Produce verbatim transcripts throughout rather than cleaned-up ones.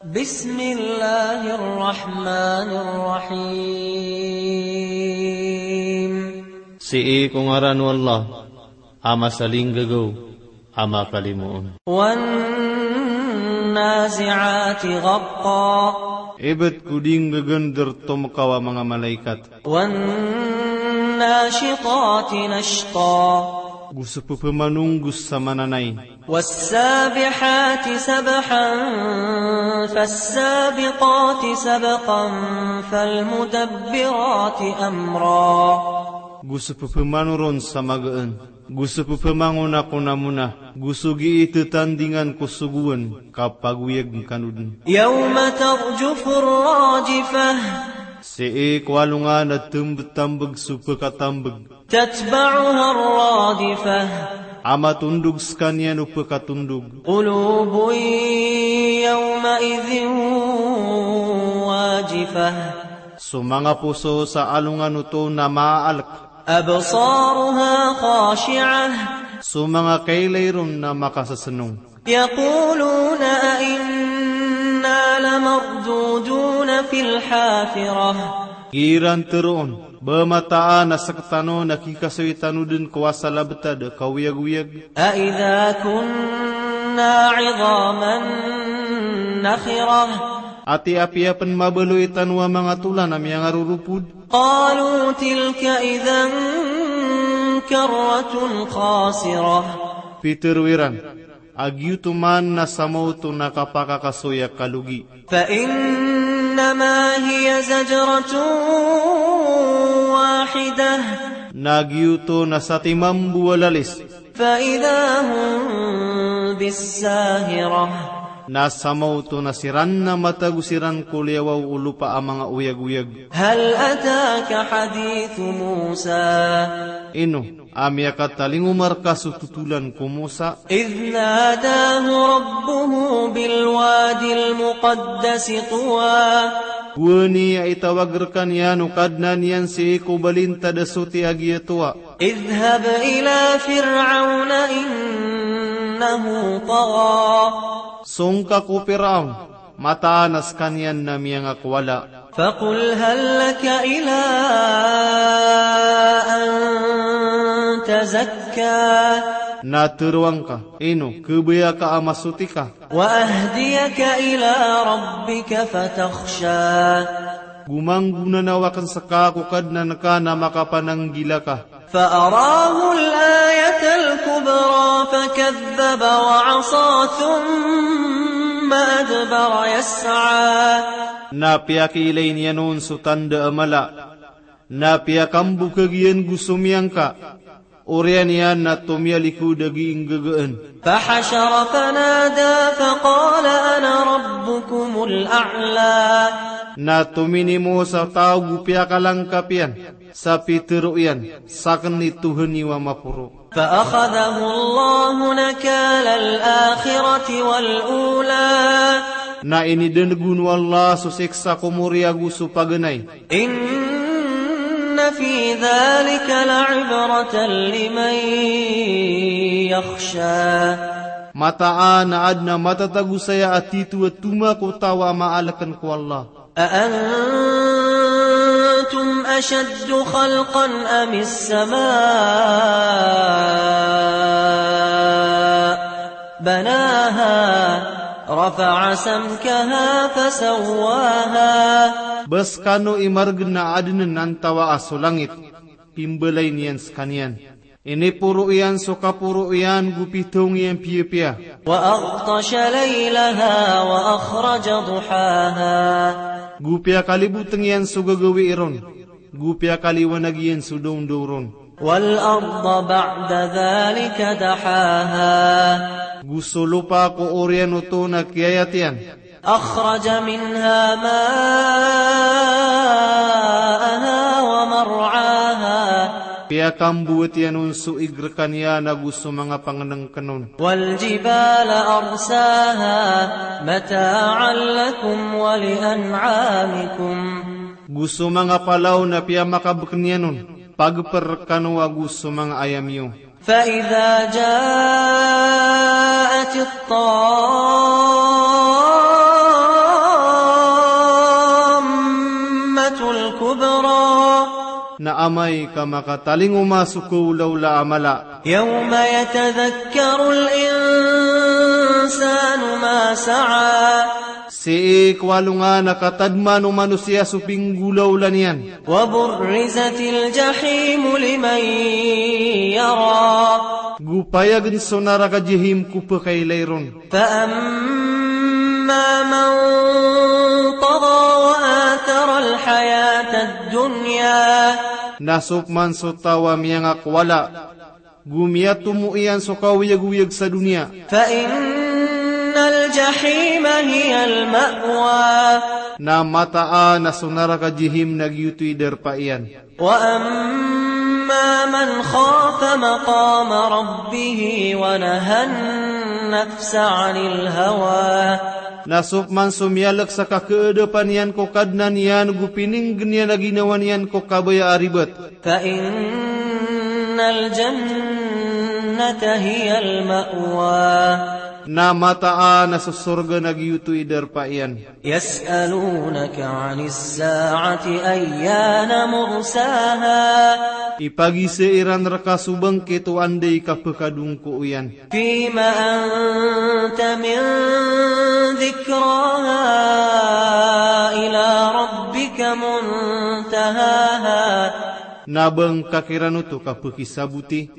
Bismillahir Rahmanir Rahim. Sii ko ngaran o Allah, a masalinggagaw, a makalimoon. Wan nazi'ati gharqa. Ibt ko di nggagndr tomkaw a manga malaikat. Wan nashitati nashta. Go so pphamanong go sa mananay. Was sabihati sabhan. Fas sabiqati sabqan. Fal mudabbirati amra. Go so pphamanoron sa magaan. Go so pphamangonakona mona, go so gii titandingan ko sogoan, ka pagoyag kano dn. Yawma tarjufur rajifah. Sii ko alongan a tmbtambg so pkatambg. Tatba'uhar radifah. A matondog skaniyan o pkatondog. Qulubun yawma'idhin wajifah. So manga poso sa alongan oto na maalk. Absaruha khashi'ah. So manga kailay ron na makasasnong. Yaquluna a inna lamarduduna fil hafirah. Giran tharoon, ba mataan a sktano na kikasoy tano dn ko asal a btad a kaoyagoyag. A idha kunna idhaman nakhirah. Ati apiya pn mabaloy tano a manga tolan a miyangaroropod. Qalu tilka idhan karratun khasirah. Pitharo iran, a giyoto man na samaoto na kapakakasoy a kalogi. Fa innama hiya zajratun wahidah. Na giyoto na satiman bo a lalis. Fa idha hum bis sahirah. Na samaoto na siran na matago siran ko liyawaw o lopa a manga oyagoyag. Hal ataka hadithu Musa. Ino, a miyakatalingoma rka so totolan ko Musa. Idh nadahu rabbuhu bil wadil muqaddasi tuwa. Gowani a itawag rkaniyan o Kadnan iyan sii ko balintad a soti a giya Tuwa. Idhhab ila Fir'awna innahu tagha. Song ka ko Piraon, mataan a skaniyan na miyangakowala. Faqul hal laka ila an tazakka. Na tharoang ka, ino, khabaya ka a masoti ka. Wa ahdiyaka ila rabbika fatakhsha. Go manggonanaw akn ska ko Kadnan ka na makapananggila ka. Fa arahul ayatal kubra fakadhdhaba wa asa thumma adbara yas'a. Na piyakiilay niyan on so tanda a mala. Na piyakambo kagiya go somiyangka. Oriyan iyan na tomiyalikod a gii nggagaan. Fahashara fanada faqala ana rabbukumul a'la. Na tominimo sa taw go piyakalangkap iyan, sa pitharo iyan, sakn i Tohan iyo a maporo. Fa akhadhahu Allahu nakalal akhirati wal ula. Na inidngon o Allah so siksa ko mori ago so paganay. Inna fi dhalika la'ibratan liman yakhsha. Mataan a adn a matatagosaya a titho a toma ko taw a maalkn ko Allah. A antum ashaddu khalqan amis sama' banaha rafa'a samkaha fasawwaha. Ba skano i margn a adn antawaa so langit, pimbalay niyan skaniyan. Iniporo iyan so kaporo iyan go pithong iyan piyapiya. Wa aghtasha laylaha wa akhraja duhaha. Go piyakalibotng iyan so gagawii ron. Go piyakaliwanag iyan so dawndaw ron. Wal arda ba'da dhalika dahaha. Go so lopa ko oriyan oto na kiyayat iyan. Akhraja minha ma'aha wa mar'aha. Piyakambowat iyan on so ig rkaniyan ago so manga pangnngkn on. Wal jibala arsaha. Mata'an lakum wa li an'amikum. Go so manga palaw na piyamakabkn iyan on, pagpr rkano ago so manga ayam iyo. Fa idha ja'atit tamma. Na amay ka makatalingoma so kaolaola a mala. يوم يتذكر الإنسان ما سعى. Sii ko alongan a katadman o manosiya so pinggolaola niyan. وبرزت الجحيم لمن يرى. Go payagen so naraka Jahim ko pekailay ron. فأما من طغى وآثر الحياة الدنيا. Na so pman so taw a miyangakowala, go miyatomo iyan so kaoyagoyag sa doniya. فإن الجحيم هي المأوى. Na mataan a so naraka Jahim na giyoto i darpa iyan. وأما من خاف مقام ربه ونهى النفس عن الهوى. Na so pman so miyalek sa kakaadapan iyan ko Kadnan iyan go pininggen iyan a ginawa niyan ko kabaya a ribat. فإن الجنة هي المأوى. Na mataan a so sorga na giyoto i darpa iyan. يسألونك عن الساعة أيان مرساها. Ipagisa iran reka so bangkit o anda i kapekadongko iyan. فيم أنت من ذكراها إلى ربك منتهاها. Na bangka kiran oto kapekisaboti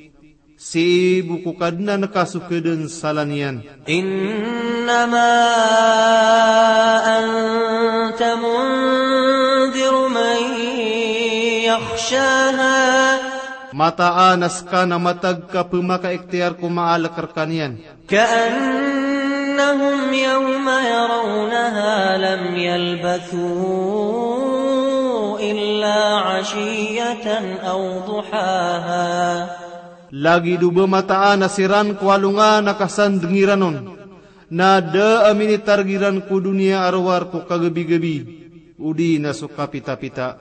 sii bo ko Kadnan ka so kadansalan iyan. إنما أنت منذر من يخشاها. Mataan a seka na matag ka pemakaikhtiyar ko maalek rekaniyan. كأنهم يوم يرونها لم يلبثوا إلا عشية أو ضحاها. Lagid o ba mataan a siran ko alongan a kasandeng iran on, na da a minitareg iran ko doniya a rowar ko kagabigabi, odi na so kapitapita.